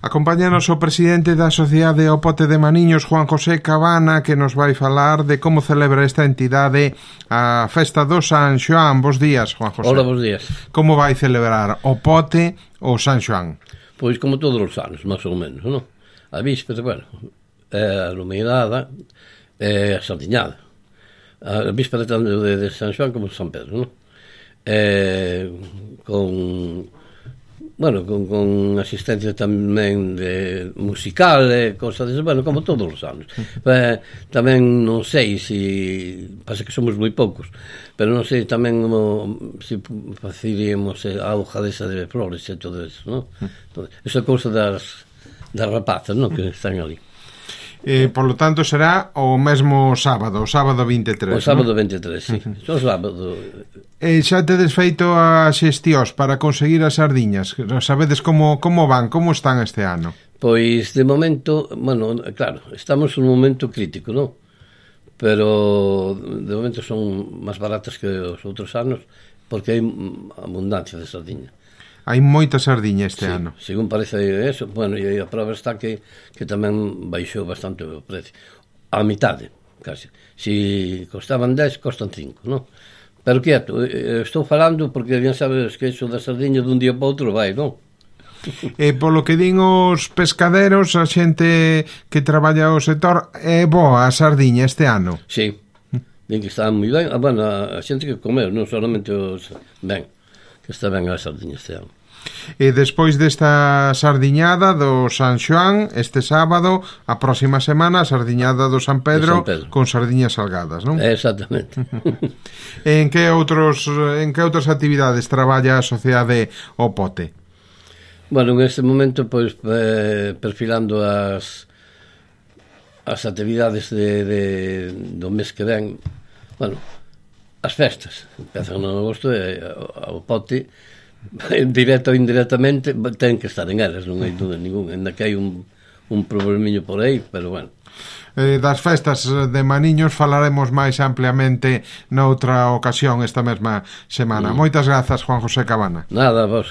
Acompáñanos o presidente da Sociedade O Pote de Maniños, Juan José Cabana, que nos vai falar de como celebra esta entidade a festa do San Xoán. Bos días, Juan José. Hola, bos días. Como vai celebrar o Pote o San Xoán? Pois como todos os anos, máis ou menos, non? A víspera, bueno, a luminada, a sardiñada. A víspera tanto de San Xoán como de San Pedro, non? Con asistencia tamén de musical e cosas desas, bueno, como todos os anos. Tamén non sei se pasa que somos moi poucos, pero non sei tamén se faciríamos a hoja desa de flores e todo eso, non? Esa cousa das rapazas, non, que están ali. Por lo tanto será o mesmo sábado, o sábado 23. O sábado 23, sí. O sábado. Xa tedes feito as xestións para conseguir as sardiñas. Sabedes como van, como están este ano? Pois de momento, bueno, claro, estamos nun momento crítico, non? Pero de momento son máis baratas que os outros anos porque hai abundancia de sardiña. Hai moita sardiña este ano. Según parece eso, bueno, e a prova está que tamén baixou bastante o precio. A mitade, casi. Si costaban 10, costan 5, non? Pero quieto, estou falando porque bien sabes que iso da sardiña dun día para outro vai, non? Polo que din os pescaderos, a xente que traballa o sector, é boa a sardiña este ano. Sí, din que está moi ben. Bueno, a xente que comeu, non solamente os ben, que está ben a sardiña este ano. E despois desta sardiñada do San Xoán, este sábado, a próxima semana, a sardiñada do San Pedro, con sardiñas salgadas, non? Exactamente. En que outras actividades traballa a Sociedade O Pote? Bueno, en este momento, pois, perfilando as actividades do mes que ven, bueno, as festas, empezan en agosto e o Pote, directo ou indirectamente, ten que estar en elas, non hai dúda ninguna, ainda que hai un problemiño por aí, pero bueno. Das festas de Maniños falaremos máis ampliamente noutra ocasión esta mesma semana. Moitas grazas, Juan José Cabana. Nada, vos.